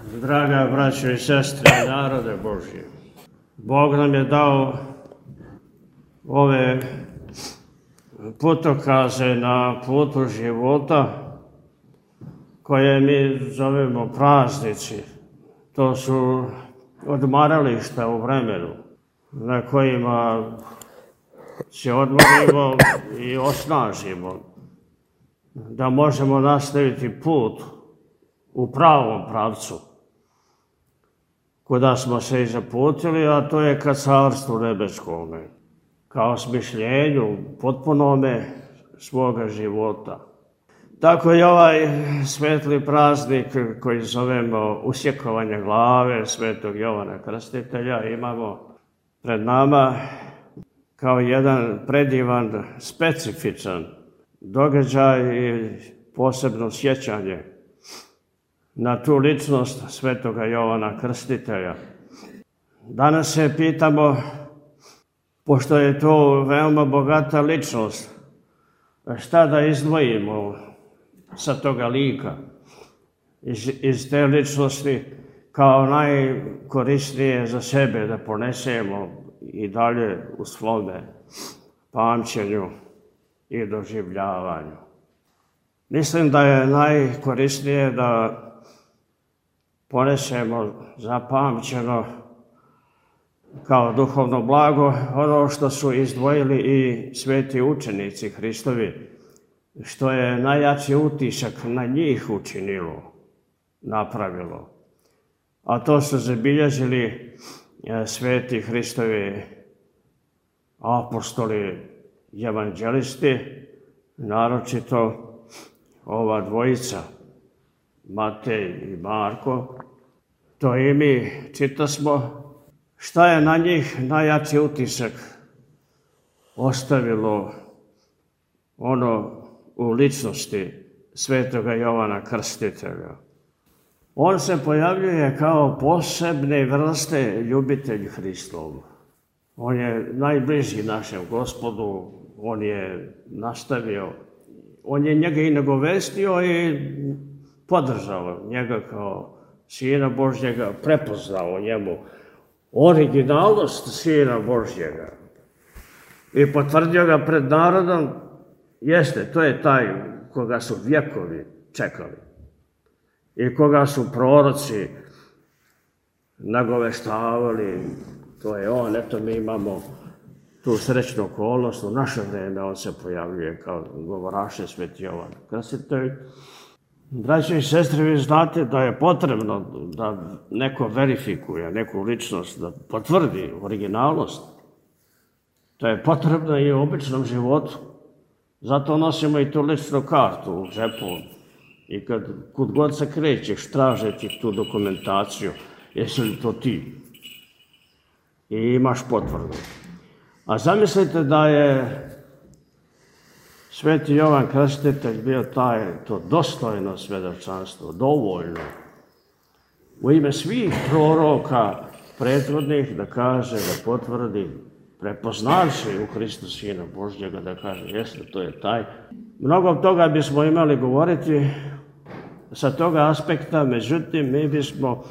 Draga braćo i sestre, narode Božji, Bog nam je dao ove putokaze na putu života koje mi zovemo praznici. To su odmarališta u vremenu na kojima se odmorimo i osnažimo, da možemo nastaviti put u pravom pravcu kuda smo se i zaputili, a to je ka carstvu nebeskome, kao smišljenju potpunome svoga života. Tako i ovaj svetli praznik koji zovemo usjekovanje glave svetog Jovana Krstitelja imamo pred nama kao jedan predivan, specifičan događaj i posebno sjećanje na tu ličnost svetoga Jovana Krstitelja. Danas se pitamo, pošto je to veoma bogata ličnost, šta da izdvojimo sa toga lika, iz te ličnosti kao najkorisnije za sebe da ponesemo i dalje u svome pamćenju i doživljavanju. Mislim da je najkorisnije da ponesemo zapamćeno kao duhovno blago ono što su izdvojili i sveti učenici Hristovi, što je najjači utisak na njih učinilo, napravilo. A to su zabilježili sveti Hristovi apostoli, evanđelisti, naročito ova dvojica, Matej i Marko. To i mi čitasmo šta je na njih najjači utisak ostavilo ono u ličnosti svetoga Jovana Krstitelja. On se pojavljuje kao posebne vrste ljubitelj Hristov. On je najbliži našem Gospodu, on je nastavio, on je njega i nagovestio i podržao njega kao Sina Božjega, prepoznao njemu originalnost Sina Božjega i potvrdio ga pred narodom. Jeste, to je taj koga su vjekovi čekali i koga su proroci nagoveštavali. To je on, eto mi imamo tu srećnu okolnost, u naše vreme on se pojavljuje kao govoraše sveti Jovan Krstitelj. Braći i sestre, vi znate da je potrebno da neko verifikuje neku ličnost, da potvrdi originalnost. To je potrebno i u običnom životu. Zato nosimo i tu ličnu kartu u džepu. I kud god se krećeš, tražeći tu dokumentaciju, jesi li to ti? I imaš potvrdu. A zamislite da je sveti Jovan Krstitelj bio to dostojno svjedočanstvo, dovoljno, u ime svih proroka prethodnih da kaže, da potvrdi, prepoznavši u Hristu Sina Božjega, da kaže, jeste, to je taj. Mnogo toga bismo imali govoriti sa toga aspekta, međutim, mi bismo,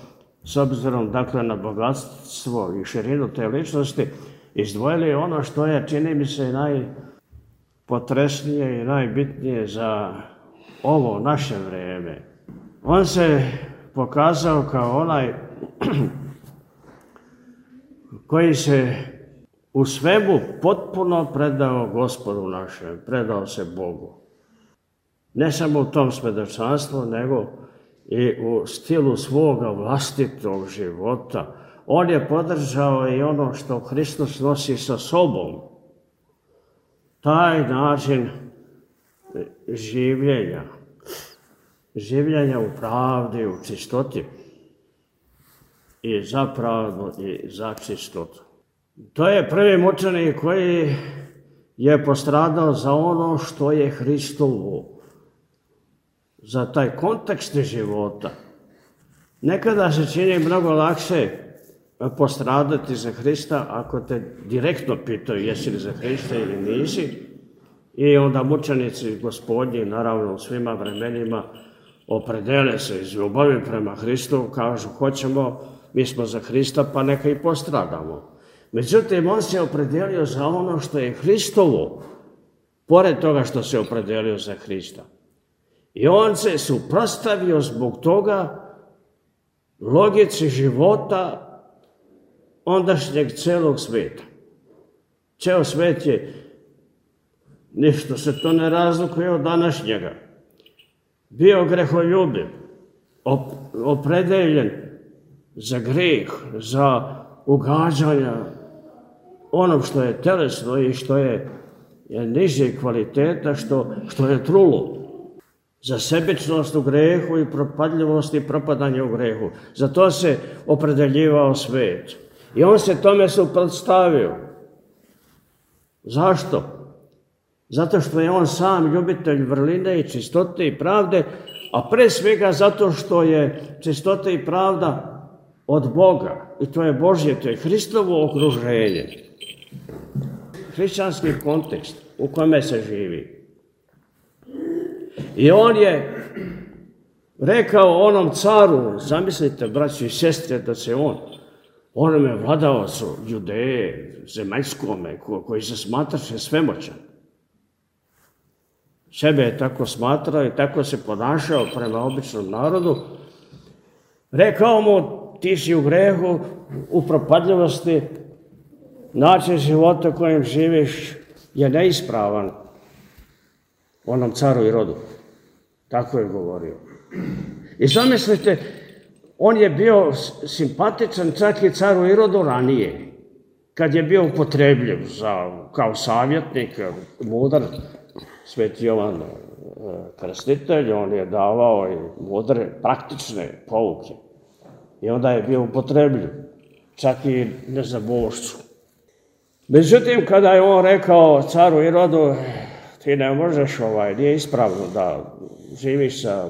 s obzirom dakle na bogatstvo i širinu te ličnosti, izdvojili ono što je, čini mi se, najpotresnije i najbitnije za ovo naše vrijeme. On se pokazao kao onaj koji se u svemu potpuno predao Gospodu našem, predao se Bogu. Ne samo u tom svjedočanstvu, nego i u stilu svoga vlastitog života. On je podržao i ono što Hristos nosi sa sobom. Taj način življenja u pravdi, u čistoti i za pravdu i za čistotu. To je prvi mučenik koji je postradao za ono što je Hristovo, za taj kontekst života. Nekada se čini mnogo lakše postradati za Hrista ako te direktno pitaju jesi li za Hrista ili nisi. I onda mučenici Gospodnji, naravno u svima vremenima, opredele se iz ljubavi prema Hristu, kažu hoćemo, mi smo za Hrista, pa neka i postradamo. Međutim, on se opredelio za ono što je Hristovo, pored toga što se opredelio za Hrista. I on se suprotstavio zbog toga logici života ondašnjeg celog sveta. Ceo svet je, ništa se to ne razlikuje od današnjega. Bio greholjubiv, opredeljen za greh, za ugađanja onom što je telesno i što je niže kvaliteta, što je trulo. Za sebičnost u grehu i propadljivost i propadanje u grehu. Za to se opredeljivao svet. I on se tome suprotstavio. Zašto? Zato što je on sam ljubitelj vrline i čistote i pravde, a pre svega zato što je čistota i pravda od Boga. I to je Božje, to je Hristovo okruženje. Hrišćanski kontekst u kome se živi. I on je rekao onom caru, zamislite, braći i sestre, da se onome vladavacu Judeje, zemaljskome, koji se smatraše svemoćan. Sebe je tako smatrao i tako se ponašao prema običnom narodu. Rekao mu, ti si u grehu, u propadljivosti, način života kojim živiš je neispravan onom caru i rodu. Tako je govorio. I zamislite, on je bio simpatičan čak i caru Irodu ranije, kad je bio upotrebljiv kao savjetnik, mudar, Sveti Jovan Krstitelj, on je davao i mudre, praktične pouke. I onda je bio upotrebljiv, čak i nezabošću. Međutim, kada je on rekao caru Irodu, ti ne možeš, nije ispravno da živiš sa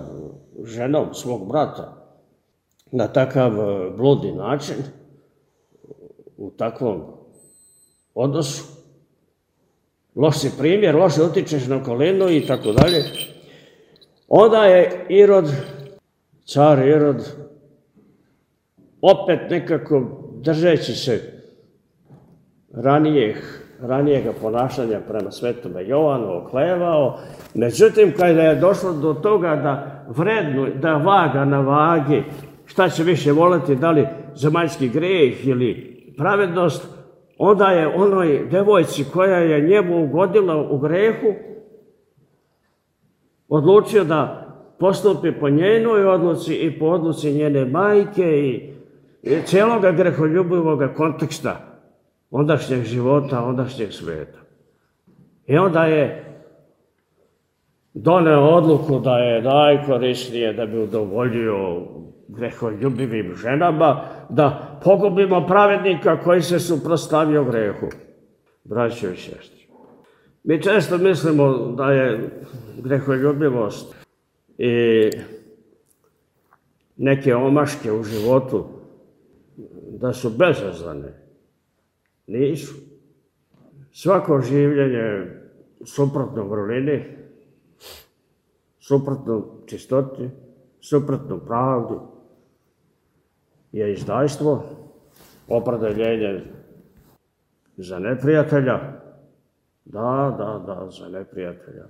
ženom svog brata na takav bludni način, u takvom odnosu. Loš si primjer, loše utičeš na okolinu i tako dalje. Onda je car Irod, opet nekako držeći se ranijega ponašanja prema svetome Jovanu, oklevao. Međutim, kada je došlo do toga da vaga na vagi, šta će više voliti, da li zemaljski greh ili pravednost, onda je onoj devojci koja je njemu ugodila u grehu odlučio da postupi po njenoj odluci i po odluci njene majke i cijeloga greholjubivog konteksta ondašnjeg života, ondašnjeg sveta. I onda je doneo odluku da je najkorisnije da bi udovoljio greholjubivim ženama, da pogubimo pravednika koji se suprotstavio grehu. Braćo i sestre, mi često mislimo da je greholjubivost i neke omaške u životu da su bezazlene. Nisu. Svako življenje suprotno vrlini, suprotno čistoti, suprotno pravdi je izdajstvo, opredeljenje za neprijatelja. Da, za neprijatelja.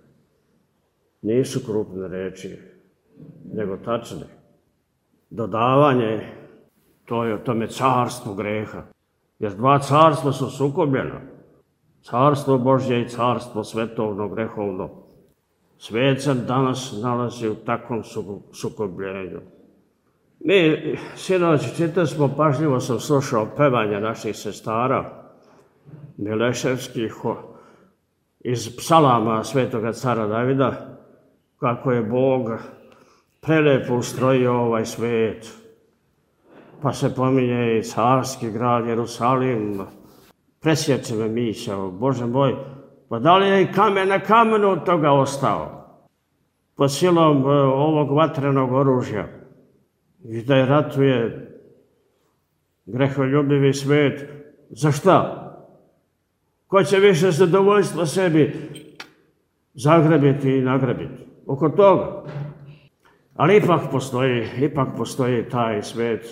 Nisu krupne reči, nego tačne. Dodavanje, to je o tome carstvo greha. Jer dva carstva su sukobljena. Carstvo Božje i carstvo svetovno, grehovno. Svet se danas nalazi u takvom sukobljenju. Mi, sinoć, čitali smo, pažljivo sam slušao pevanje naših sestara Mileševskih iz psalama svetoga cara Davida, kako je Bog prelepo ustrojio ovaj svet. Pa se pominje i carski grad Jerusalim. Presjeće me misao, Bože moj, pa da li je i kamen na kamenu od toga ostao? Pod silom ovog vatrenog oružja. I da je ratuje greholjubivi svet. Za šta? Ko će više zadovoljstva sebi zagrebiti i nagrebiti? Oko toga. Ali ipak postoji taj svet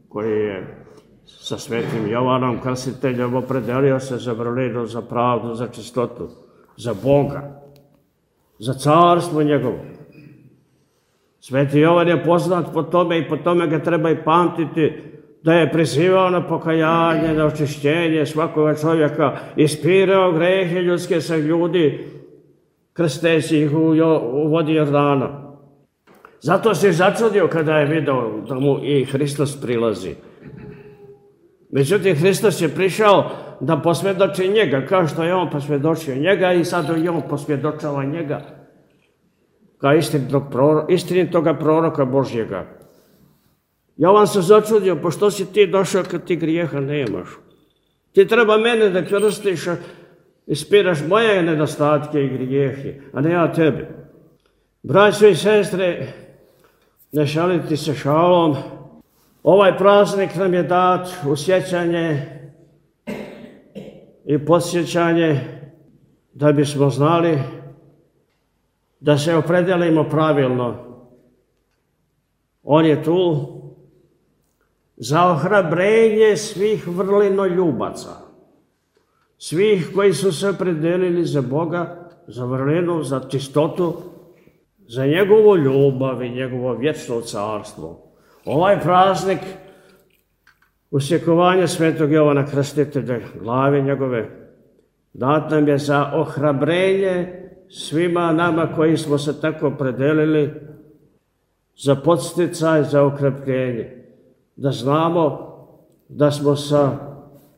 koji je sa svetim Jovanom Krstiteljem opredelio se za vrlinu, za pravdu, za čistotu, za Boga, za carstvo njegovo. Sveti Jovan je poznat po tome i po tome ga treba i pamtiti, da je prizivao na pokajanje, na očišćenje svakoga čovjeka, ispirao grehe ljudske sa ljudi, krsteći ih u vodi Jordana. Zato se začudio kada je video da mu i Hristos prilazi. Međutim, Hristos je prišao da posvjedoči njega, kao što je on posvjedočio njega i sad i on posvjedočava njega kao istinitoga proroka Božjega. Jovan se začudio, pa što si ti došao kad ti grijeha nemaš? Ti treba mene da krstiš, ispiraš moje nedostatke i grijehe, a ne ja tebe. Braćo i sestre, ne šaliti se šalom, ovaj praznik nam je dat u sjećanje i podsjećanje da bismo znali da se opredelimo pravilno. On je tu za ohrabrenje svih vrlinoljubaca, svih koji su se opredelili za Boga, za vrlinu, za čistotu, za njegovu ljubav i njegovo vječno carstvo. Ovaj praznik usjekovanja svetog Jovana Krstitelja, glave njegove, dat nam je za ohrabrenje svima nama koji smo se tako opredelili, za podsticaj, za okrepljenje, da znamo da smo sa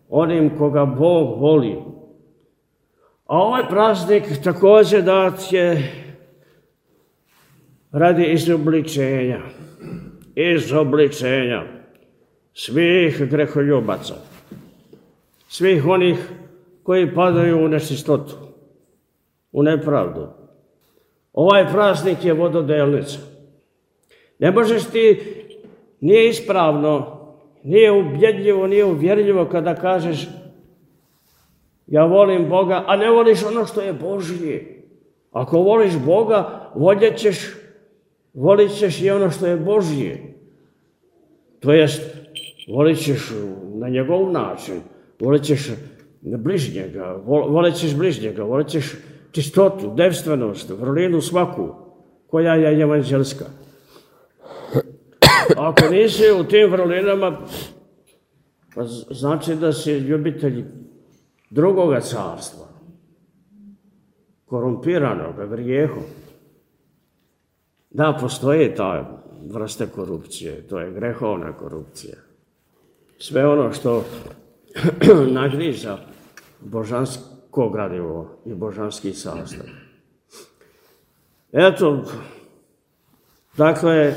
onim koga Bog voli. A ovaj praznik također dat je radi izobličenja svih greholjubaca, svih onih koji padaju u nečistotu, u nepravdu. Ovaj praznik je vododelnica. Ne možeš ti, nije ispravno, nije ubjedljivo, nije uvjerljivo kada kažeš ja volim Boga, a ne voliš ono što je Božje. Ako voliš Boga, volit ćeš i ono što je Božje. To jest, volit ćeš na njegov način, volit ćeš bližnjega, volit ćeš čistotu, devstvenost, vrlinu svaku, koja je evanđelska. Ako nisi u tim vrlinama, pa znači da si ljubitelj drugoga carstva, korumpiranog grijehom. Da, postoji ta vrsta korupcije, to je grehovna korupcija. Sve ono što nagriza božansko gradivo i božanski sastav. Eto, dakle,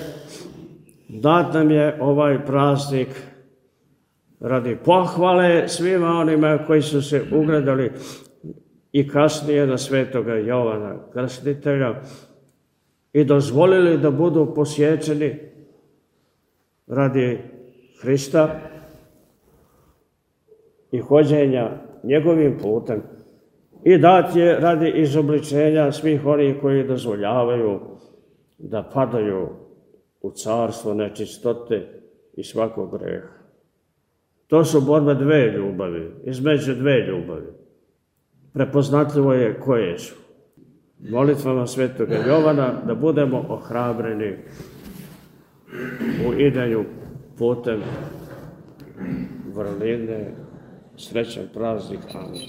dat nam je ovaj praznik radi pohvale svima onima koji su se ugledali i kasnije na svetoga Jovana Krstitelja i dozvolili da budu posjećeni radi Hrista i hođenja njegovim putem i dat je radi izobličenja svih onih koji dozvoljavaju da padaju u carstvo nečistote i svakog greha. To su borbe dve ljubavi, između dve ljubavi. Prepoznatljivo je koje su. Molitvama svetoga Jovana da budemo ohrabreni u idanju putem vrline. Srećan praznik. Amen.